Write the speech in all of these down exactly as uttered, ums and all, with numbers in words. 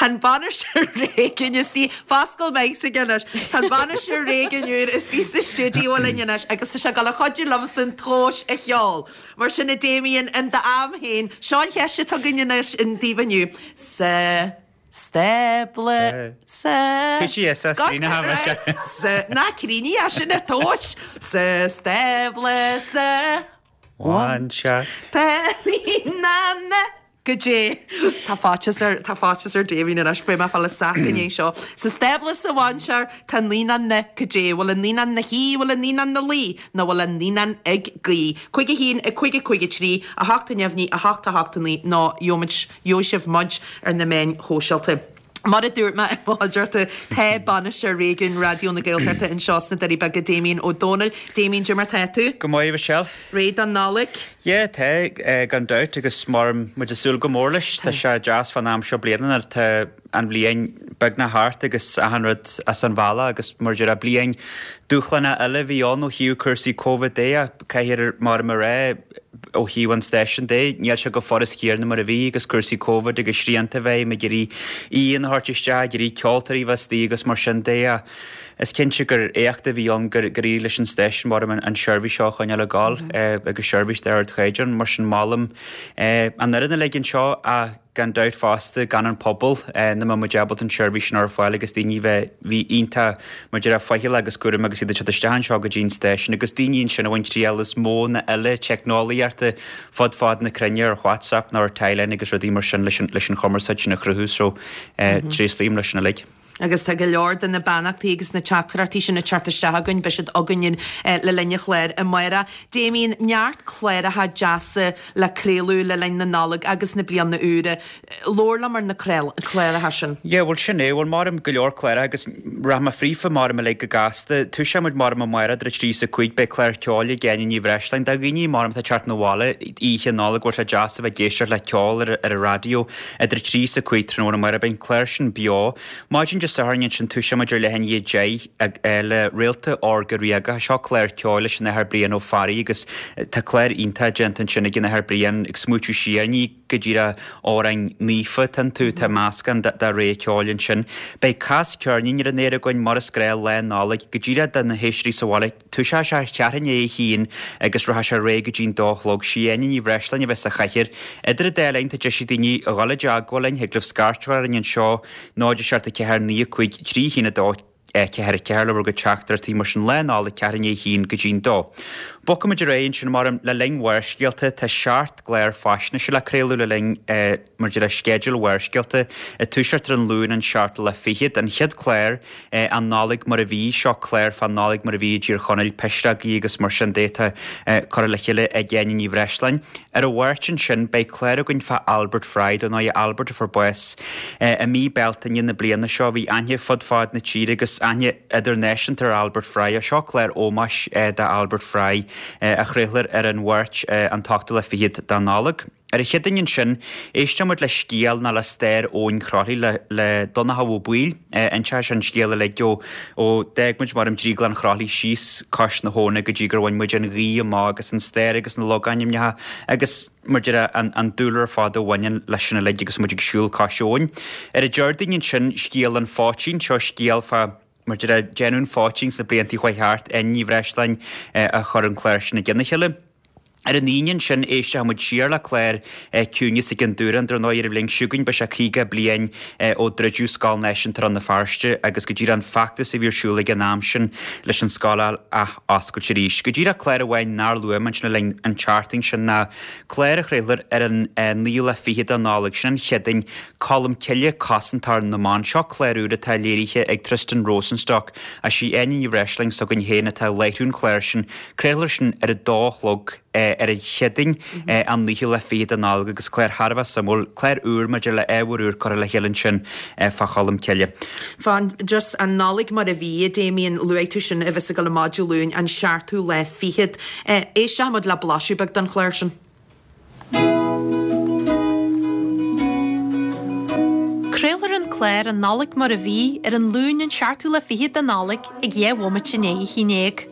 Tá an bainisteoir réigiúin istigh, foscail mic s'aige anois, tá an bainisteoir réigiúin úr istigh sa stiúideo linn anois agus tá sé ag dul a chuidiú liomsa an tomhais a cheol. Mar sin a Damien, in d'am féin, seo an cheist atá againn anois daoibh inniu. Sa stábla sa Tuí sa Sa ná críní é sin a tomhais sa stábla sa Mhainséar. Tá naíonán Goidé tá faitíos ar tá faitíos ar Damien anois beidh mé ag fáil a sac i ndiaidh seo. Sa stábla sa mhainséar tá naíonán na goidé bhfuil an naíonán 'na shuí bhfuil an naíonán 'na luí nó bhfuil an naíonán ag guí. Cúig a haon a cúig a cúig a trí a hocht a neamhní a hocht a hocht a naoi nó gheobhaimid gheobhaidh sibh muid ar na meáin shóisialta. Mar a dúirt mé i bhfáilte tá bainisteoir réigiúin Raidió na Gaeltachta anseo sna Doirí Beaga Damien Ó Dónaill. Damien cad é mar tá tú? Go maith Michelle. Réidh don Nollaig? Yeah tá gan dabht agus mar muid ag súil go mór leis tá sé deas fan am seo bliana tá an bhliain beagnach thart agus achan rud as an bhealach agus mar deir bliain dúshlánach eile a bhí ann ó thaobh cúrsaí Covid de ach caithfidh mar mar rá ó thaobh an stáisiúin de níl sé chomh furast céanna mar a bhí agus cúrsaí Covid agus srianta bheith ag iarraidh aíonna a thabhairt isteach ag iarraidh ceoltóirí bheith istigh agus mar sin de ach is cinnte gur éacht a bhí ann gur gur éirigh leis an stáisiún mar an seirbhís seo a choinneáil ag gabháil agus seirbhís d'ardchaighdeán mar sin molaim an fhoireann uilig anseo ach gan dabht fosta gan an pobal nach mbeadh muid ábalta an tseirbhís sin a chur ar fáil agus daoine bheith bhí iontach mar deir faichilleach agus cúramach agus iad ag teacht isteach anseo go dtí an stáisiún agus daoine ansin a bhain triail as modhanna eile teicneolaíochta fud fad na cruinne ar WhatsApp nó ar Timeline agus rudaí mar sin leis an leis an chumarsáid sin a chruthú so tréaslaím leis sin uilig. Agus tá go leor de na beannachtaí agus na teachtaireachtaí sin ag teacht isteach againn, beidh siad againn le linn an chláir amárach. Damien, neart cláracha deasa le craoladh le linn na Nollag agus na Bliana Úire. Labhair liom ar na cláracha sin. Yeah, bhuel sin é, bhuel maram go leor cláracha agus rachaidh mé fríofa maram uilig go gasta. Toiseoidh muid maram amárach idir a trí is a cúig, beidh clár ceoil ag Áine Ní Bhreisleáin. Do dhaoine maram atá ag teacht 'na bhaile oíche Nollag, bhfuil sé deas a bheith ag éisteacht le ceol ar ar an raidió idir a trí is a cúig tráthnóna amárach, beidh an clár sin beo. Maidin Dé Sathairn ansin toiseoidh muid ar leath i ndiaidh a deich le Réalta Órga Ríoga. Seo clár ceoil leis an Athair Brian Ó Fearraigh agus tá clár iontach déanta ansin ag an Athair Brian ag smaoitiú siar, ní go díreach amhráin naofa atá iontu, tá meascán de rogha ceoil ansin. Beidh Cas Ceirnín ar an aer againn mar is gnáth Lá Nollag go díreach do na héisteoirí sa bhaile. Toiseoidh sé ar cheathrú i ndiaidh a haon agus rachaidh sé ar aghaidh go dtí'n dó a chlog. Sí Áine Ní Bhreisleáin a bheas sa chathaoir. Idir an dá linn tá deis ag daoine a dhul i dteagmháil linn, thig libh scairt a chur orainn anseo, náid a seacht a ceathair naoi a cúig trí a haon a dó ceathair a ceathair le bhur gcuid teachtaireachtaí mar sin Lá Nollag ceathrú i ndiaidh a haon go dtí'n dó. Bogfaimid ar aghaidh ansin mar le linn Bharrscéalta tá seacht gclár faisnéise le craoladh le linn mar de réir sceideal Bharrscéalta ag toiseacht ar an Luan an seachtú lá fichead. An chéad chlár An Nollaig mar a bhí, seo clár fán Nollaig mar a bhí i dTír Chonaill, pisreogaí agus mar sin de atá curtha le chéile ag Áine Ní Bhreisleáin. Ar an Mháirt ansin beidh clár againn fá Albert Fry, dar ndóigh Albert a fuair bás i mí Bealtaine na bliana seo. Bhí aithne fud fad na tíre agus aithne idirnáisiúnta ar Albert Fry. Seo clár ómóis d'Albert Fry a chraolfar ar an Mháirt an t-ochtú lá fichead de Nollaig. Ar an Chéadaoin ansin, éisteoidh muid le scéal nó le stair Abhainn Chroithlí le le Donnchadh Ó Baoill. Inseoidh sé an scéal uilig ó ó d'fhág muid mar Drioglann Chroithlí síos cois na habhna go dtí gur bhain muid an ghaoth amach agus an stair agus na logainmneacha agus mar deir an an dúlra ar fad a bhaineann leis sin uilig agus muid ag siúl cois abhann. Ar an Déardaoin ansin, scéal an phoitín, seo scéal fá mar deir déanamh an phoitín sna blianta a chuaigh thart, Áine Ní Bhreisleáin a chuir an clár sin i gcionn a chéile. Ar an Aoine ansin, éisteoidh muid siar le clár Ciúnas ag an Dúrán, dar ndóigh ar an bhliain seo chugainn beidh sé caoga bliain ó druideadh Scoil Náisiúnta Rann na Feirste agus go díreach an feachtas a bhí ar siúl ag an am sin leis an scoil a ath-oscailt arís. Go díreach clár amháin nár luaigh mé ansin le linn an tseachtain sin ná clár a chraolfar ar an naoú lá fichead de Nollaig, sin an Chéadaoin, Colm Cille, Cosantóir na mBan. Seo clár úr atá léirithe ag Tristan Rosenstock agus sí Áine Ní Bhreisleáin s'againn féin atá ag láithriú an chláir sin. Craolfar sin ar a dó a chlog ar an Chéadaoin an naoú lá fichead de Nollaig agus clár thar a bheith suimiúil, clár úr maidir le ábhar úr curtha le chéile ansin fá Cholm Cille. Fán just an Nollaig mar a bhí, a Damien, luaigh tú sin a bheas ag dul amach Dé Luain an seachtú lá fichead. Éisteoidh muid le blaiseadh beag den chlár sin. Craolfar an clár An Nollaig Mar a Bhí ar an Luan an seachtú lá fichead de Nollaig ag dhá bhomaite i ndiaidh a haon déag.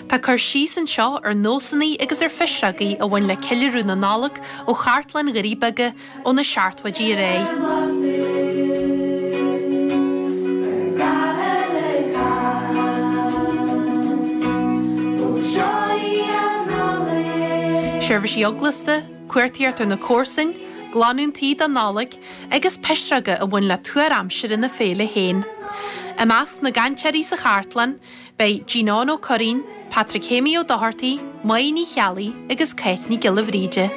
Tá cur síos anseo ar nósanna agus ar phisreogaí a bhain le ceiliúradh na Nollag ó chartlann Dhoirí Beaga ó na seachtóidí ar aghaidh. Seirbhísí eaglasta, cuartaíocht ar na comharsain, glanadh an tí don Nollaig agus pisreoga a bhain le tuar aimsire na féile féin. I measc na gcainteoirí sa chartlann, beidh Ginán Ó Curraoin, Patrick Shéamaí Ó Dochartaigh, Máire Ní Cheallaigh agus Cáit Nic Giolla Bhríde.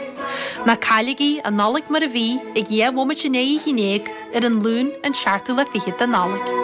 Ná cailligí an Nollaig mar a bhí ag dhá bhomaite i ndiaidh a haon déag ar an Luan an seachtú lá fichead de Nollaig.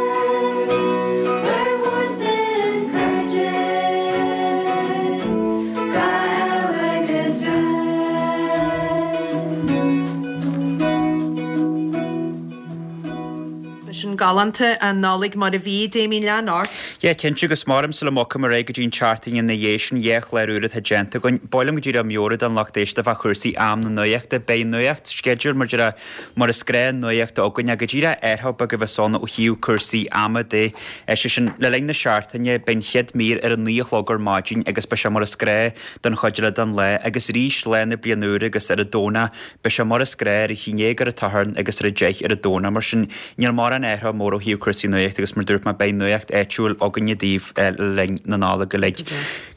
Sin galánta an Nollaig mar a bhí, Damien lean ort. Yeah, cinnte agus maram sula mbogfaidh mé ar aghaidh go dtí an tseachtain ina dhiaidh sin, dhá chlár úr atá déanta againn. B'áil liom go díreach meabhrú don lucht éisteachta fá chúrsaí am na nuachta. Beidh nuacht sceideal mar deir mar is gnáth nuachta againn ach go díreach athrú beag a bheas ann ó thaobh cúrsaí ama de. Sé sin, le linn na seachtaine beidh an chéad mír ar a naoi a chlog ar maidin agus beidh sé mar is gnáth don chuid eile den lá agus arís lá na bliana úire agus ar an Domhnach beidh sé mar is gnáth ar a haon déag ar an tSatharn agus ar a deich ar an Domhnach. Mar sin níl mórán athrú mór ó thaobh cúrsaí nuachta agus mar dúirt mé beidh nuacht áitiúil againne daoibh le linn na Nollag uilig.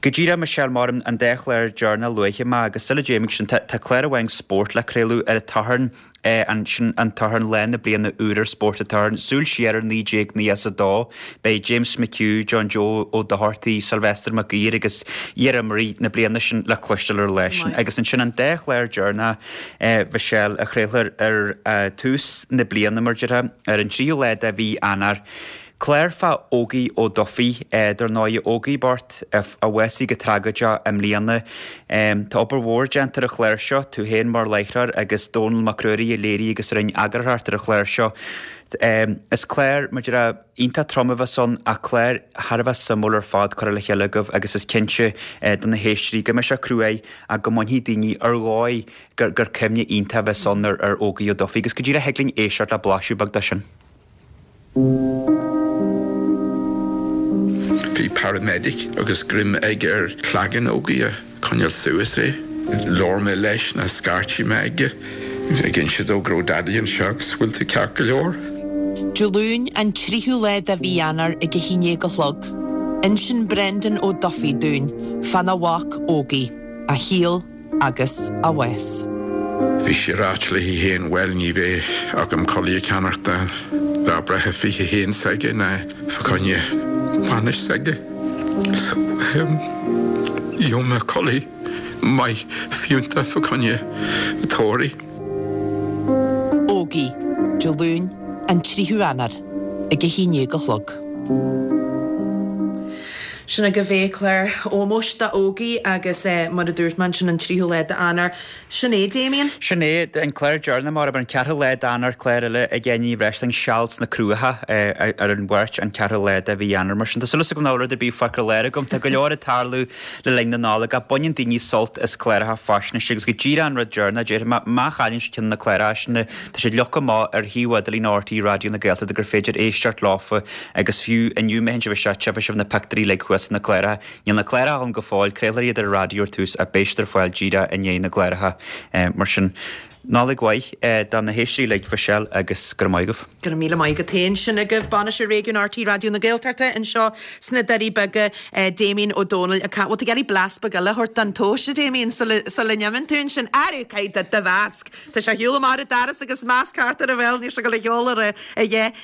Go díreach Michelle maram an dá chlár deireanach luaite mé agus sula dtéim sin tá clár amháin spóirt le craoladh ar an tSatharn ansin an tSatharn lá na bliana úr ar Spórt an tSathairn, súil siar ar naoi déag naocha a dó. Beidh James McHugh, John Joe Ó Dochartaigh, Sylvester Mac Uidhir agus iar-imreoirí na bliana sin le cloisteáil ar an lá sin. Agus ansin an dá chlár deireanach Michelle a chraolfar ar tús na bliana mar déarfá, ar an tríú lá de mhí Eanáir. Clár fá Ógie Ó Dufaigh, dar ndóigh, Ógie bocht a bhásaigh go tragóideach i mbliana. Tá obair mhór déanta ar an chlár seo, tú féin mar láithreoir agus Dónall Mac Ruairí a léirigh agus a rinne eagarthóireacht ar an chlár seo. Is clár, mar déarfá, iontach trom a bheas ann ach clár thar a bheith suimiúil ar fad curtha le chéile agaibh agus is cinnte do na héisteoirí go mbeidh sé cruaidh ach go mbainfidh daoine ar dhóigh gur cuimhne iontach a bheas ann ar Ógie Ó Dufaigh agus go díreach thig linn éisteacht le blaiseadh beag de sin. Bhí paramedic agus greim aige ar chlaigeann Ógie ag coinneáil suas é. Labhair mé leis nó scairtigh mé aige ag inse dó go raibh Daidí anseo agus bhfuil tú ceart go leor? Dé Luain an tríú lá de mhí Eanáir ag a haon déag a chlog. Insíonn Brendan Ó Dufaigh dúinn fána mhac Ógie, a shaol agus a bhás. Bhí sí ag ráit léi féin, bhuel ní bheidh agam culaith a cheannacht do lá breithe fiche a haon s'aige ná fá choinne bainis s'aige. So um, gheobhaidh mé culaith maith fiúntach fá choinne tórraimh. Ógie, Dé Luain, an tríú Eanáir, ag a haon déag a chlog. Sin agaibh é clár ómóis do Ógie agus mar a dúirt mé ansin an tríú lá d'Eanáir. Sin é, Damien. Sin é, an clár deireanach mar an ceathrú lá d'Eanáir, clár eile ag Áine Ní Bhreisleáin, Seal sna Cruacha ar an Mháirt an ceathrú lá de mhí Eanáir. Mar sin tá súil agam nach bhfuil rud ar bith fágtha ar lár agam. Tá go leor ag tarlú le linn na Nollag ach baineann daoine sult as cláracha faisnéise agus go díreach an rud deireanach, déarfaidh mé, má chailleann sibh ceann de na cláracha sin, tá siad leagtha amach ar shuíomh idirlín RTÉ Raidió na Gaeltachta gur féidir éisteacht leofa agus fiú inniu má théann sibh isteach tchífidh sibh na pictiúirí uilig thuas sna cláracha. Níl na cláracha ann go fóill, craolfar iad ar an raidió ar tús ach beidh siad ar fáil díreach i ndiaidh na gcláracha. Mar sin, Nollaig mhaith do na héisteoirí uilig, Michelle, agus go raibh maith agaibh. Go raibh míle maith agat féin. Sin agaibh Bainisteoir Réigiún RTÉ Raidió na Gaeltachta anseo sna Doirí Beaga, Damien Ó Dónaill. Bhfuil tú ag iarraidh blas beag eile a thabhairt don tomhais, a Damien, sula n-imíonn tú ansin? Arú, caithfidh do mhasc! Tá sé ar shiúl amach ar an doras agus masc thart ar a bhéal, níl sé ag dul a cheol ar a dhath.